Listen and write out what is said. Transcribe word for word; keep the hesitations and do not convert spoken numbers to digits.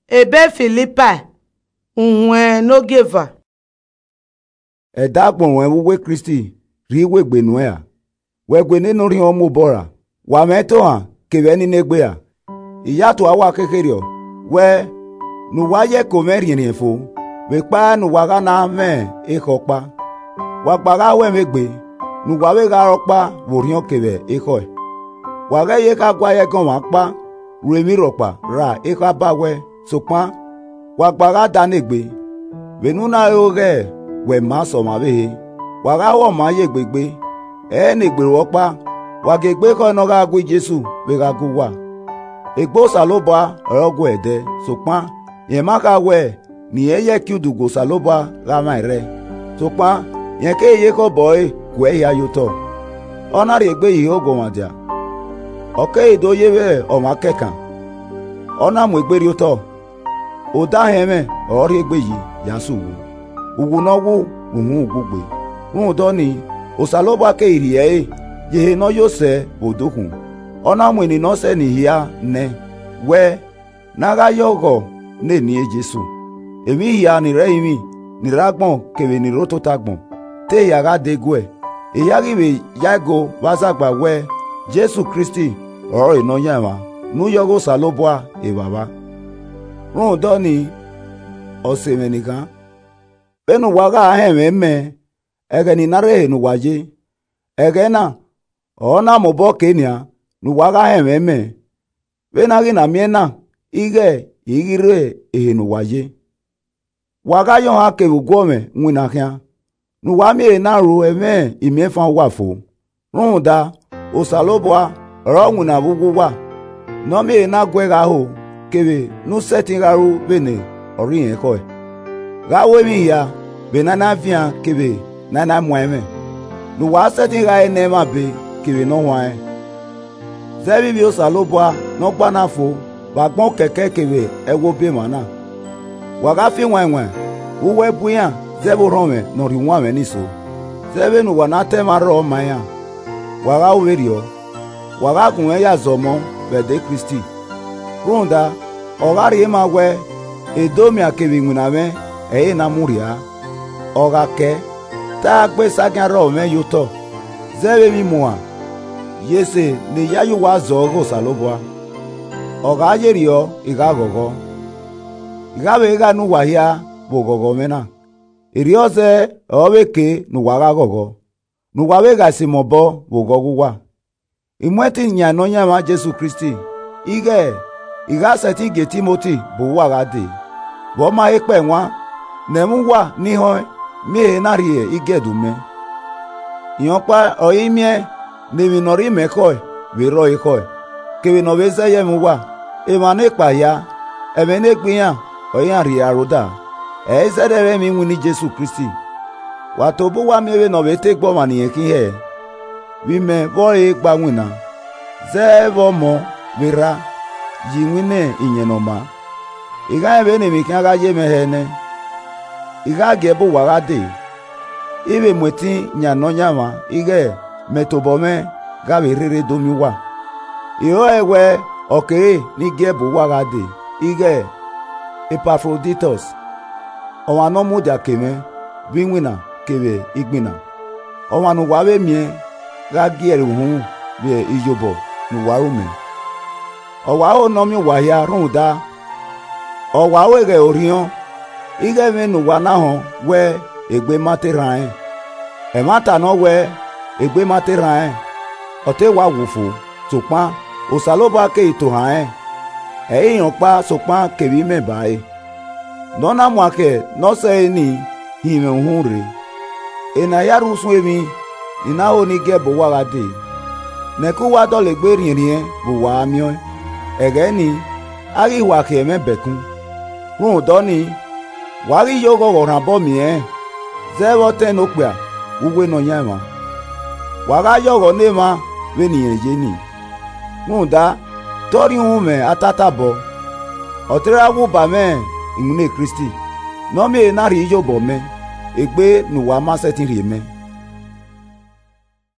Ebe Filipai, uhunmwu ne ogieva. Ẹdagbọn ruẹn vbe uwu Kristi rhie iwegbe nuẹn ra, wẹ gue ne Nọrianmwẹ mobọ ra, wa mwẹ itohan kevbe ẹni ne egbe ra. I ya tua uwa khekherriọ wẹ ne uwa ye ẹko mwẹ rhiẹnrhiẹn fo, vbe ekpa ne uwa gha na mwẹ ekhọe ọkpa. Wa gba gha ho ẹmwẹ egbe, ne uwa vbe gha re ọkpa vbe orhiọn kevbe ekhọe. Wa ghẹ ye kha gua ye ẹgọnmwa ọkpa ru emwi rhọkpa ra ekhọe ba wẹ, sokpan wa gba gha da ne egbe, vbene u na re oghẹ wẹ ma sẹ ọmwa ọvbehe. Wa gha ho ọma ye egbe gbe, ẹ i re ne egbe ru ọkpa, wa gie egbe ekhọe ne ọ gha gu Jesu vbe gha gu uwa. Egbe Osanobua ọre ọ gu ẹdẹ, sokpan rẹn ma kha wẹ ne irẹn ye ẹki udu gu Osanobua gha mwa ẹrrẹe. Sokpan rẹn keghi ye ekhọe obọ ẹre guẹ hia ye otọ, ọ na rhie egbe yi ihe oguọmwadia, ọ keghi do ye vbe ọmwa kẹkan, ọ na mu egbe rrie otọ. Odahẹn mwẹ ọre ọ rhie egbe yi ya sẹ uwu, uwu ne ọ wu vbe uhunmwu ugbugbe. Rhunmwuda ọnii, Osanobua keghi rhie ẹre ye ehe ne ọ yo sẹ vbe odukhunmwu, ọ na mu eni ne ọ sẹ ni hia nẹ, wẹ ne a gha ye ọghọ ne Eni Jesu. Emwi hia ni rre ẹrinmwi, ni rre agbọn kevbe ni rre otota agbọn, te hia gha de guẹ, ehia ghi vbe yae go vbe azagba wẹ Jesu Kristi ọrọre Nọyaẹnmwa ne u ye ọghe Osanobua Evbavba. Rhunmwuda ọnii, ọse mwẹ ni khan, vbene uwa gha họn ẹmwẹ mẹ, ẹghẹ ne I na rre ehe ne uwa ye, ẹghẹ na ọre ọ na mobọ kei nian ne uwa gha họn ẹmwẹ mẹ, vbene a ghi na miẹn na ighẹ I ghi rre ehe ne uwa ye. Wa gha ye ohan kevbe uguọmwẹ winna khian, ne uwa miẹn ehe na ru ẹmwẹ imiẹnfan uwa fo. Rhunmwuda, Osanobua ọre ọ winna vbe uwu uwa, ne ọ miẹn ehe na guẹ gha ho, kevbe ne u sẹtin gha ru vbene ọ rri irẹn ekhọe. Gha ru emwi hia vbe ne a i na vian kevbe ne a i na muan ẹmwẹ, ne uwa sẹtin gha re ne ẹmwẹ abe kevbe ne ọ huanrẹn. Zẹ vbe ivbi Osanobua ne ọ gba na fo vbe agbọn okẹkẹ kevbe ẹghẹ obọ emwa na. Wa gha fi wainwain vbe uwu ẹbu iran zẹ vbe orhọnmwẹ ne ọ rhie uwanmwẹ ni so, zẹ vbene uwa na ta ẹmwẹ arrọọ ma iran. Wa gha ru vberriọ, wa gha gu mwẹ ya zọmọ vbe Ẹdẹ Kristi. Rhunmwuda, ọ gha rhie ma wẹ edomian kevbe iwinna mwẹ ẹre na mu rhia. Ọ gha kẹ, te a gha gbe esagiẹn arrọọ mwẹ ye otọ, zẹ vbe emwi imuohan, ye ese ne I ya ye uwa zọ ọghe Osanobua. Ọ gha yerriọ, I gha ghọghọ, I gha vbe gha ne uwa hia vbe oghọghọ mwẹ na. Erriọ zẹ ọre ọ vbe ke ne uwa gha ghọghọ, ne uwa vbe gha sẹ imẹ obọ vbe oghọghọ uwa. I mu ẹtin yan Nọyaẹnmwa Jesu Kristi, ighẹ I gha sẹtin gie Timoti bu uwa gha dee, vbe ọ ma he kpẹe wan, ne ẹmwẹ uwa ni họẹn miẹn ehe na rhie igiẹdu mẹ. Rẹn ọkpa ọre I miẹn ne emwi ne ọ rre imẹ ekhọe vbe rrọọ ekhọe, kevbe ne ọ vbe zẹ ye ẹmwẹ uwa. Emwa nekpa hia, ẹmwẹ ne gbe iran ọre iran rhie aro da, ẹ i zẹdẹ vbe ẹmwẹ iwinna Jesu Kristi. Wa tobọ uwa miẹn vbene ọ vbe te gbe ọmwa ne irẹn khin hẹ, vbe imẹ vbe ọre gba winna, zẹ vbe ọmọ vbe erha, ye iwinna Iyẹn Ne ọ maa. I gha rẹn vbene emwi khian gha ye mwẹ hẹ nẹ, I gha gie bu uwa gha dee. I vbe mu ẹtin yan Nọyaẹnmwa ighẹ mẹ tobọ mwẹ gha vbe rherhe do miẹn uwa. I ho ẹe wẹ ọ kere ne I gie bu uwa gha dee, ighẹ Epafroditọs, ọmwa ne ọ mudia ke mwẹ vbe iwinna kevbe igbinna, ọmwa ne uwa vbe miẹn gha gie ẹre uhunmwu vbe iyobọ ne uwa ru mẹ. Ọ wa ho ne ọ miẹn uwa hia rhunmwuda, ọ wa ru eghẹ orhiọn, ighẹ ẹmwẹ ne uwa na họn wẹ egbe ma te rran rẹn. Ẹmwata ne ọ wẹ egbe ma te rran rẹn, ọ te wa wu fo, sokpan Osanobua keghi tohan rẹn, ẹ i rẹn ọkpa sokpan kevbe imẹ ba re, ne ọ na muakhẹ ne ọ sẹe ni hin mwẹ uhunmwu rre. Ena hia rre usun emwi ne I na ho ne I gie bu uwa gha dee, ne ẹko uwa dọlegbe rhiẹnrhiẹn vbe uwa gha miẹn ọẹn. Ẹghẹ nii, a ghi hua khian mwẹ bẹkun. Rhunmwuda ọnii, wa ghi ye oghọghọ rhan obọ miẹn rẹn, zẹ vbe ọtẹn ne okpia vbe uwu Nọyaẹnmwa. Wa gha ye ọghọ ne emwa vbene irẹn ye nii. Rhunmwuda, te ọ rhie uhunmwu mwẹ atatabọ, ọ te ra wu ba mwẹ iwinna Kristi, ne ọ miẹn ehe na rhie iyobọ mẹ, egbe ne uwa ma sẹtin rhie mẹ.